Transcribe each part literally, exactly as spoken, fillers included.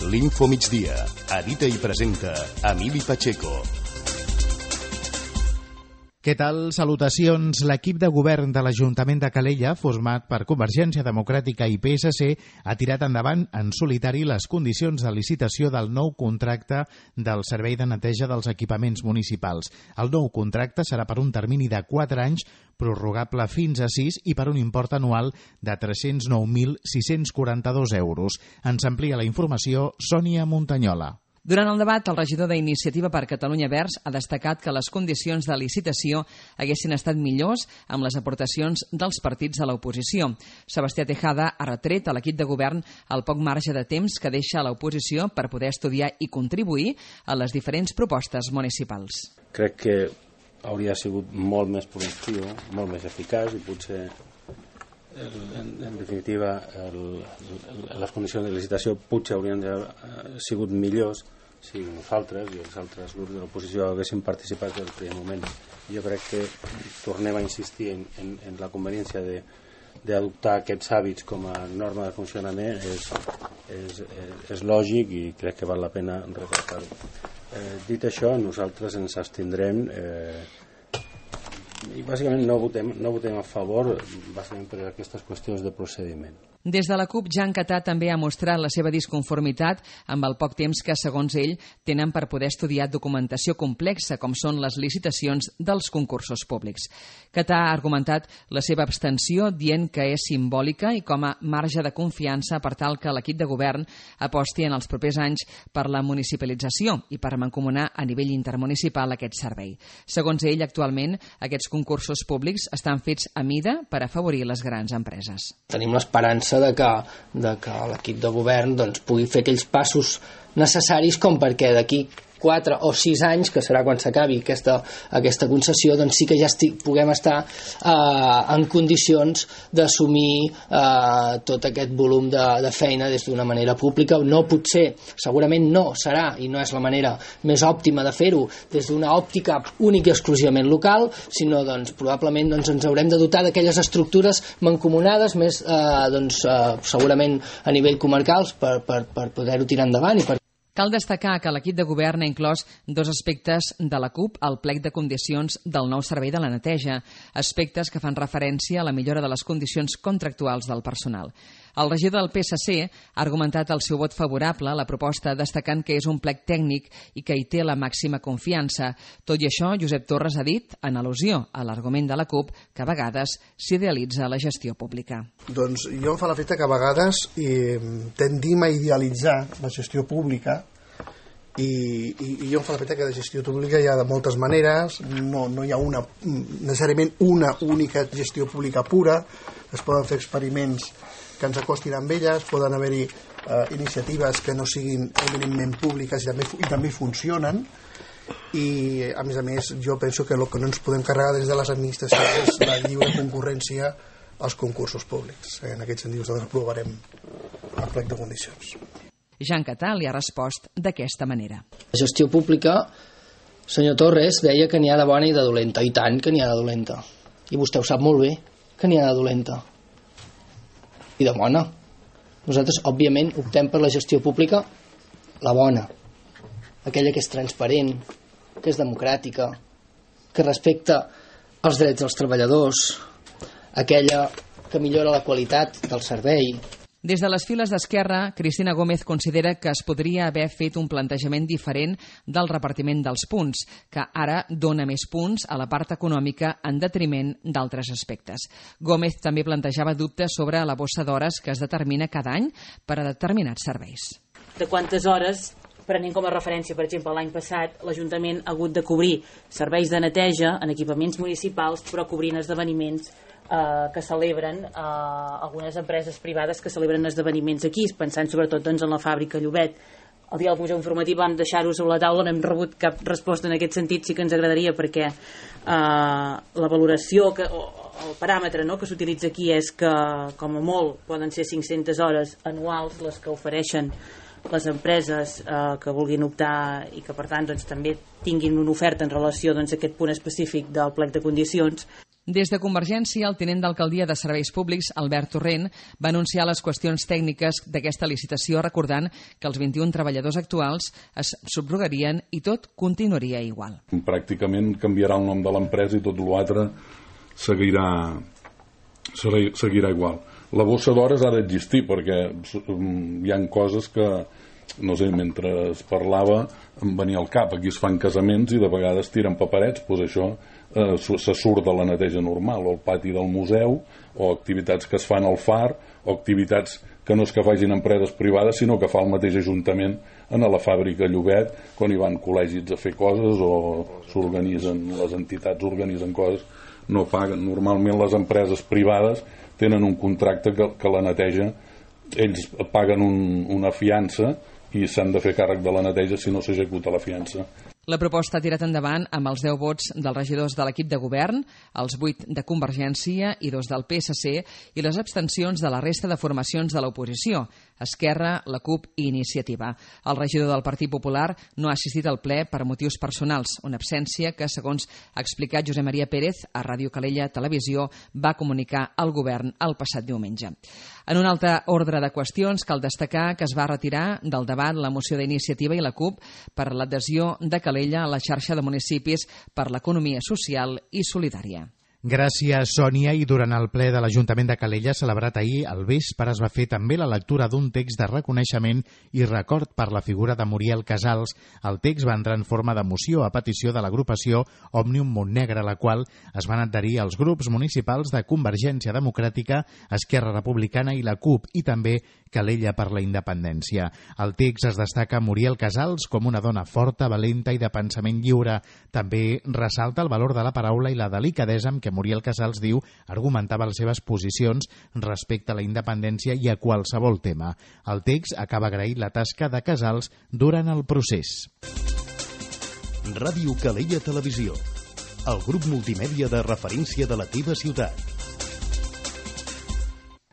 L'Info Migdia. Edita i presenta Emili Pacheco. Què tal? Salutacions. L'equip de govern de l'Ajuntament de Calella, format per Convergència Democràtica i P S C, ha tirat endavant en solitari les condicions de licitació del nou contracte del Servei de Neteja dels Equipaments Municipals. El nou contracte serà per un termini de quatre anys, prorrogable fins a sis i per un import anual de tres-cents nou mil sis-cents quaranta-dos euros. Ens amplia la informació Sònia Montanyola. Durant el debat, el regidor d'Iniciativa per Catalunya Verds ha destacat que les condicions de licitació haguessin estat millors amb les aportacions dels partits de l'oposició. Sebastià Tejada ha retret a l'equip de govern el poc marge de temps que deixa a l'oposició per poder estudiar i contribuir a les diferents propostes municipals. Crec que hauria sigut molt més productiu, molt més eficaç i potser, en, en definitiva, el, el, les condicions de licitació potser haurien sigut millors si nosaltres i els altres grups de l'oposició haguessin participat des del primer moment. Jo crec que tornem a insistir en, en, en la conveniència de d'adoptar aquests hàbits com a norma de funcionament és, és, és, és lògic i crec que val la pena recalcar-ho. Eh, dit això, nosaltres ens abstindrem eh, i bàsicament no votem, no votem a favor bàsicament per aquestes qüestions de procediment. Des de la CUP, Jan Catà també ha mostrat la seva disconformitat amb el poc temps que, segons ell, tenen per poder estudiar documentació complexa, com són les licitacions dels concursos públics. Catà ha argumentat la seva abstenció dient que és simbòlica i com a marge de confiança per tal que l'equip de govern aposti en els propers anys per la municipalització i per mancomunar a nivell intermunicipal aquest servei. Segons ell, actualment, aquests concursos públics estan fets a mida per afavorir les grans empreses. Tenim l'esperança de que, de que l'equip de govern doncs, pugui fer aquells passos necessaris com perquè d'aquí quatre o sis anys, que serà quan s'acabi aquesta, aquesta concessió, doncs sí que ja estic, puguem estar eh, en condicions d'assumir eh, tot aquest volum de, de feina des d'una manera pública. No potser, segurament no serà, i no és la manera més òptima de fer-ho, des d'una òptica única i exclusivament local, sinó doncs, probablement doncs, ens haurem de dotar d'aquelles estructures mancomunades, més eh, doncs, eh, segurament a nivell comarcals, per, per, per poder-ho tirar endavant i per Cal destacar que l'equip de govern ha inclòs dos aspectes de la CUP al plec de condicions del nou servei de la neteja, aspectes que fan referència a la millora de les condicions contractuals del personal. El regidor del P S C ha argumentat el seu vot favorable a la proposta, destacant que és un plec tècnic i que hi té la màxima confiança. Tot i això, Josep Torres ha dit, en al·lusió a l'argument de la CUP, que a vegades s'idealitza la gestió pública. Doncs jo em fa l'efecte que a vegades eh, tendim a idealitzar la gestió pública i, i, i jo em fa l'efecte que la gestió pública hi ha de moltes maneres, no, no hi ha una, necessàriament una única gestió pública pura, es poden fer experiments que ens acostin amb elles, poden haver-hi eh, iniciatives que no siguin eminentment públiques i també, i també funcionen, i a més a més jo penso que el que no ens podem carregar des de les administracions és la lliure concurrència als concursos públics. En aquest sentit nosaltres aprovarem el plec de condicions. Jan Catà li ha respost d'aquesta manera. La gestió pública, senyor Torres, deia que n'hi ha de bona i de dolenta, i tant que n'hi ha de dolenta, i vostè ho sap molt bé que n'hi ha de dolenta i de bona. Nosaltres, òbviament, optem per la gestió pública, la bona, aquella que és transparent, que és democràtica, que respecta els drets dels treballadors, aquella que millora la qualitat del servei. Des de les files d'Esquerra, Cristina Gómez considera que es podria haver fet un plantejament diferent del repartiment dels punts, que ara dona més punts a la part econòmica en detriment d'altres aspectes. Gómez també plantejava dubtes sobre la bossa d'hores que es determina cada any per a determinats serveis. De quantes hores, prenent com a referència, per exemple, l'any passat, l'Ajuntament ha hagut de cobrir serveis de neteja en equipaments municipals, però cobrint esdeveniments Eh, que celebren eh, algunes empreses privades que celebren esdeveniments aquí, pensant sobretot doncs, en la fàbrica Llobet. El dia del Museu Informatiu vam deixar-ho sobre la taula, no hem rebut cap resposta en aquest sentit, sí que ens agradaria perquè eh, la valoració, que, o el paràmetre no, que s'utilitza aquí és que com a molt poden ser cinc-centes hores anuals les que ofereixen les empreses eh, que vulguin optar i que per tant doncs, també tinguin una oferta en relació doncs, a aquest punt específic del plec de condicions. Des de Convergència, el tinent d'alcaldia de Serveis Públics, Albert Torrent, va anunciar les qüestions tècniques d'aquesta licitació, recordant que els vint-i-un treballadors actuals es subrogarien i tot continuaria igual. Pràcticament canviarà el nom de l'empresa i tot l'altre seguirà, seguirà igual. La bossa d'hores ha d'existir perquè hi ha coses que, no sé, mentre es parlava em venia al cap. Aquí es fan casaments i de vegades tiren paperets, doncs això eh, se surt de la neteja normal, o el pati del museu, o activitats que es fan al far, o activitats que no és que facin empreses privades, sinó que fa el mateix ajuntament en la fàbrica Llobet, quan hi van col·legis a fer coses o s'organitzen, les entitats organitzen coses, no paguen. Normalment les empreses privades tenen un contracte que, que la neteja, ells paguen un, una fiança i s'han de fer càrrec de la neteja si no s'executa la fiança. La proposta ha tirat endavant amb els deu vots dels regidors de l'equip de govern, els vuit de Convergència i dos del P S C i les abstencions de la resta de formacions de l'oposició, Esquerra, la CUP i Iniciativa. El regidor del Partit Popular no ha assistit al ple per motius personals, una absència que, segons ha explicat Josep Maria Pérez a Ràdio Calella Televisió, va comunicar al govern el passat diumenge. En un altre ordre de qüestions, cal destacar que es va retirar del debat la moció d'Iniciativa i la CUP per l'adhesió de Calella a la xarxa de municipis per l'economia social i solidària. Gràcies, Sònia. I durant el ple de l'Ajuntament de Calella, celebrat ahir al vespre, es va fer també la lectura d'un text de reconeixement i record per la figura de Muriel Casals. El text va entrar en forma de moció a petició de l'agrupació Òmnium Montnegre, a la qual es van adherir els grups municipals de Convergència Democràtica, Esquerra Republicana i la CUP, i també Calella per la Independència. Al text es destaca Muriel Casals com una dona forta, valenta i de pensament lliure. També ressalta el valor de la paraula i la delicadesa amb què Muriel Casals, diu, argumentava les seves posicions respecte a la independència i a qualsevol tema. El text acaba agraint la tasca de Casals durant el procés. Ràdio Calella Televisió, el grup multimèdia de referència de la teva ciutat.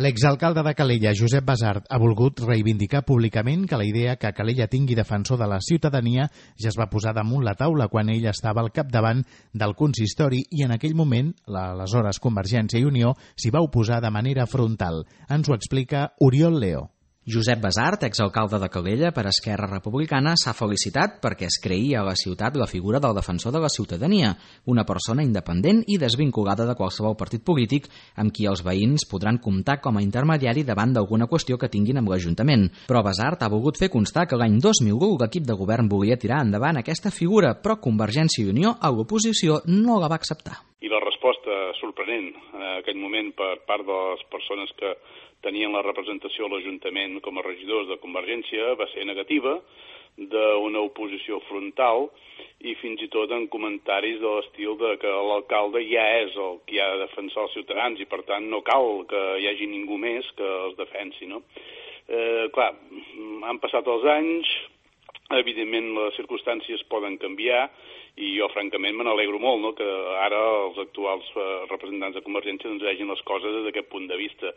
L'exalcalde de Calella, Josep Basart, ha volgut reivindicar públicament que la idea que Calella tingui defensor de la ciutadania ja es va posar damunt la taula quan ell estava al capdavant del consistori i en aquell moment l'aleshores Convergència i Unió s'hi va oposar de manera frontal. Ens ho explica Oriol Leo. Josep Basart, exalcalde de Calella per Esquerra Republicana, s'ha felicitat perquè es creïa a la ciutat la figura del defensor de la ciutadania, una persona independent i desvinculada de qualsevol partit polític amb qui els veïns podran comptar com a intermediari davant d'alguna qüestió que tinguin amb l'Ajuntament. Però Basart ha volgut fer constar que l'any dos mil u l'equip de govern volia tirar endavant aquesta figura, però Convergència i Unió a l'oposició no la va acceptar. I la resposta sorprenent en aquell moment per part de les persones que tenien la representació a l'Ajuntament com a regidors de Convergència va ser negativa, d'una oposició frontal i fins i tot en comentaris de l'estil de que l'alcalde ja és el qui ha de defensar els ciutadans i per tant no cal que hi hagi ningú més que els defensi, no? Eh, clar, han passat els anys, evidentment les circumstàncies poden canviar i jo francament me n'alegro molt, no?, que ara els actuals representants de Convergència doncs vegin les coses des d'aquest punt de vista.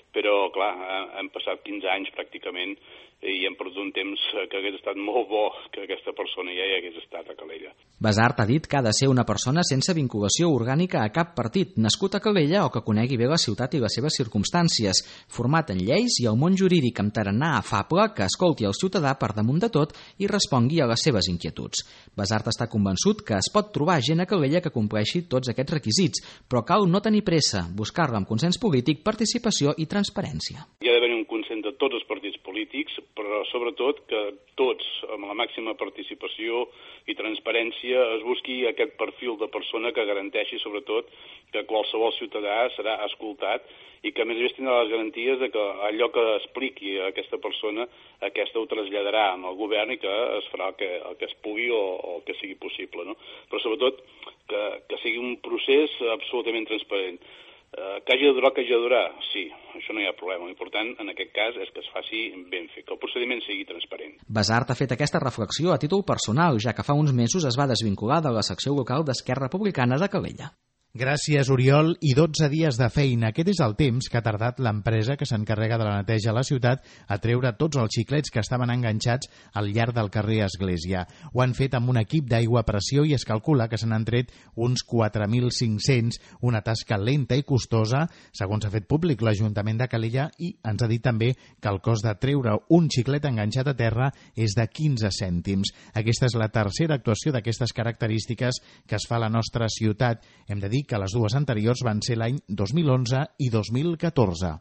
Però, clar, han passat quinze anys pràcticament i hem perdut un temps que hagués estat molt bo que aquesta persona ja hi hagués estat a Calella. Basart ha dit que ha de ser una persona sense vinculació orgànica a cap partit, nascut a Calella o que conegui bé la ciutat i les seves circumstàncies, format en lleis i el món jurídic amb tarannà afable, que escolti el ciutadà per damunt de tot i respongui a les seves inquietuds. Basart està convençut que es pot trobar gent a Calella que compleixi tots aquests requisits, però cal no tenir pressa, buscar-la amb consens polític, participació i transparència. Hi ha d'haver un consens de tots els partits polítics, però sobretot que tots, amb la màxima participació i transparència, es busqui aquest perfil de persona que garanteixi sobretot que qualsevol ciutadà serà escoltat i que a més a més tindrà les garanties de que allò que expliqui a aquesta persona, aquesta ho traslladarà al govern i que es farà el que, el que es pugui o, o el que sigui possible, no? Però sobretot que, que sigui un procés absolutament transparent. Uh, que hagi de durar, que hagi de durar, sí, això no hi ha problema. L'important en aquest cas és que es faci ben fet, que el procediment sigui transparent. Basart ha fet aquesta reflexió a títol personal, ja que fa uns mesos es va desvincular de la secció local d'Esquerra Republicana de Calella. Gràcies, Oriol, i dotze dies de feina. Aquest és el temps que ha tardat l'empresa que s'encarrega de la neteja a la ciutat a treure tots els xiclets que estaven enganxats al llarg del carrer Església. Ho han fet amb un equip d'aigua a pressió i es calcula que se n'han tret uns quatre mil cinc-cents, una tasca lenta i costosa, segons ha fet públic l'Ajuntament de Calella, i ens ha dit també que el cost de treure un xiclet enganxat a terra és de quinze cèntims. Aquesta és la tercera actuació d'aquestes característiques que es fa a la nostra ciutat. Hem de dir que les dues anteriors van ser l'any dos mil onze i dos mil catorze.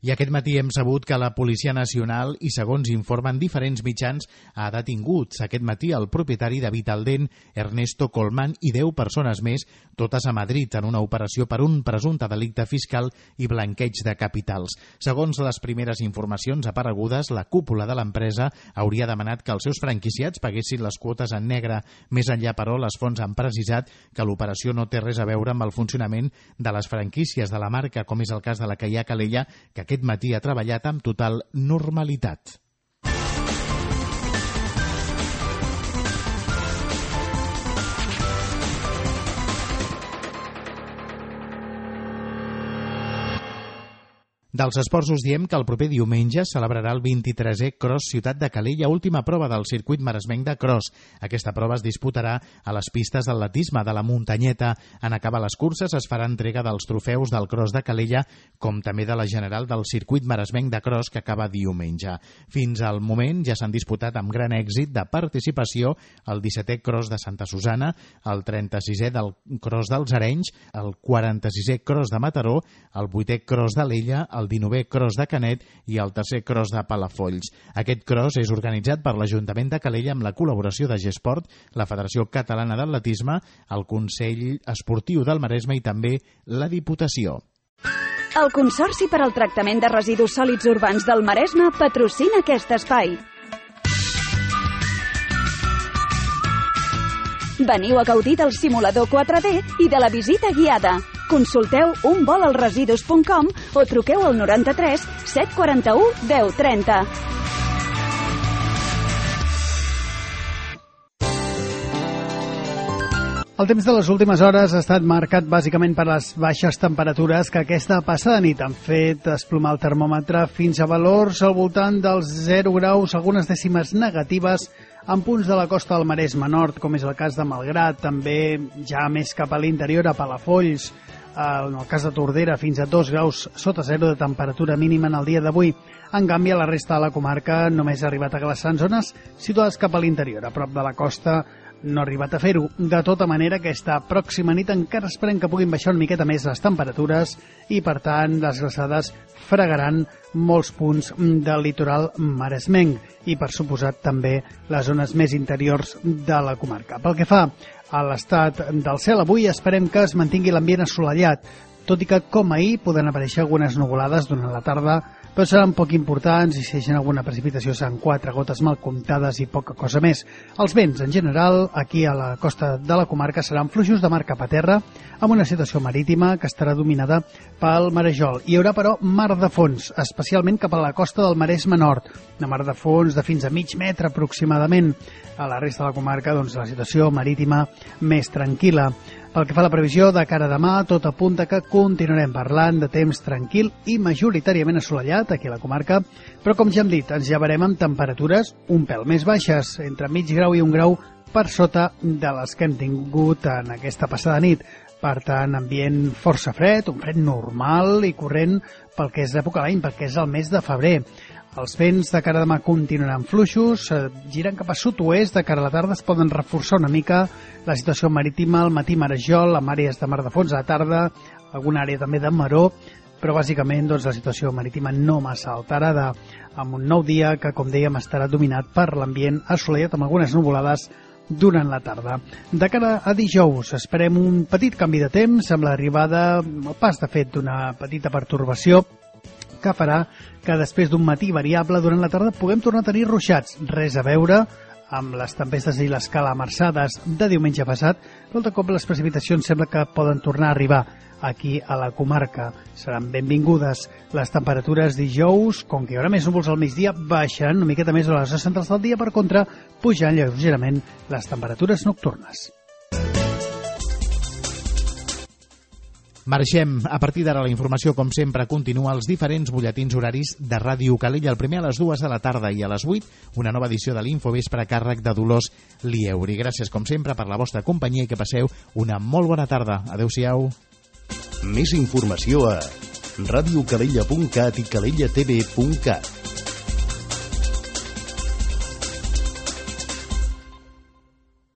I aquest matí hem sabut que la Policia Nacional, i segons informen diferents mitjans, ha detingut aquest matí el propietari de Vitaldent, Ernesto Colmán, i deu persones més, totes a Madrid, en una operació per un presumpte delicte fiscal i blanqueig de capitals. Segons les primeres informacions aparegudes, la cúpula de l'empresa hauria demanat que els seus franquiciats paguessin les quotes en negre. Més enllà, però, les fonts han precisat que l'operació no té res a veure amb el funcionament de les franquícies de la marca, com és el cas de la que hi ha a Calella, que aquest matí ha treballat amb total normalitat. Dels esports us diem que el proper diumenge celebrarà el vint-i-tresè Cross Ciutat de Calella, última prova del circuit maresmenc de cross. Aquesta prova es disputarà a les pistes d'atletisme de la Muntanyeta. En acabar les curses es farà entrega dels trofeus del Cross de Calella, com també de la general del circuit maresmenc de cross que acaba diumenge. Fins al moment ja s'han disputat amb gran èxit de participació el dissetè Cross de Santa Susana, el trenta-sisè del Cross dels Arenys, el quaranta-sisè Cross de Mataró, el vuitè Cross de l'Ella, el dinovè Cross de Canet i el tercer Cross de Palafolls. Aquest cross és organitzat per l'Ajuntament de Calella amb la col·laboració de Gesport, la Federació Catalana d'Atletisme, el Consell Esportiu del Maresme i també la Diputació. El Consorci per al Tractament de Residus Sòlids Urbans del Maresme patrocina aquest espai. Veniu a gaudir del simulador quatre D i de la visita guiada. Consulteu un vol als residus punt com o truqueu al noranta-tres set quaranta-u deu trenta. El temps de les últimes hores ha estat marcat bàsicament per les baixes temperatures que aquesta passada nit han fet desplomar el termòmetre fins a valors al voltant dels zero graus, algunes dècimes negatives en punts de la costa del Maresme Nord, com és el cas de Malgrat, també ja més cap a l'interior, a Palafolls, en el cas de Tordera, fins a dos graus sota zero de temperatura mínima en el dia d'avui. En canvi, a la resta de la comarca només ha arribat a glaçar en zones situades cap a l'interior, a prop de la costa, no ha arribat a fer-ho. De tota manera, aquesta pròxima nit encara esperem que puguin baixar una miqueta més les temperatures i, per tant, les glaçades fregaran molts punts del litoral maresmenc i, per suposat, també les zones més interiors de la comarca. Pel que fa a l'estat del cel, avui esperem que es mantingui l'ambient assolellat, tot i que, com ahir, poden aparèixer algunes nuvolades durant la tarda, però seran poc importants i si deixen alguna precipitació seran quatre gotes mal comptades i poca cosa més. Els vents, en general, aquí a la costa de la comarca seran fluixos de mar cap a terra, amb una situació marítima que estarà dominada pel marejol. Hi haurà, però, mar de fons, especialment cap a la costa del Maresme Nord, una mar de fons de fins a mig metre aproximadament. A la resta de la comarca, doncs, la situació marítima més tranquil·la. Pel que fa a la previsió de cara a demà, tot apunta que continuarem parlant de temps tranquil i majoritàriament assolellat aquí a la comarca, però com ja hem dit, ens llevarem amb temperatures un pèl més baixes, entre mig grau i un grau per sota de les que hem tingut en aquesta passada nit. Per tant, ambient força fred, un fred normal i corrent pel que és d'època l'any, perquè és el mes de febrer. Els vents de cara a demà continuaran fluixos, eh, giren cap a sud-oest, de cara a la tarda es poden reforçar una mica la situació marítima, al matí marejol, amb àrees de mar de fons, a la tarda alguna àrea també de maró, però bàsicament doncs, la situació marítima no massa alterada, amb un nou dia que, com dèiem, estarà dominat per l'ambient assolellat amb algunes nuvolades durant la tarda. De cara a dijous esperem un petit canvi de temps amb l'arribada, el pas de fet d'una petita pertorbació que farà que després d'un matí variable durant la tarda puguem tornar a tenir ruixats. Res a veure amb les tempestes i les calamarsades de diumenge passat, però de cop les precipitacions sembla que poden tornar a arribar aquí a la comarca. Seran benvingudes. Les temperatures dijous, com que hi haurà més núvols al migdia, baixaran una miqueta més a les hores centrals del dia, per contra, pujant lleugerament les temperatures nocturnes. Marxem. A partir d'ara la informació, com sempre, continua als diferents butlletins horaris de Ràdio Calella. El primer a les dues de la tarda i a les vuit, una nova edició de l'Infovespre a càrrec de Dolors Lieuri. Gràcies, com sempre, per la vostra companyia i que passeu una molt bona tarda. Adéu-siau. Més informació a radiocalella punt cat i calella t v punt cat.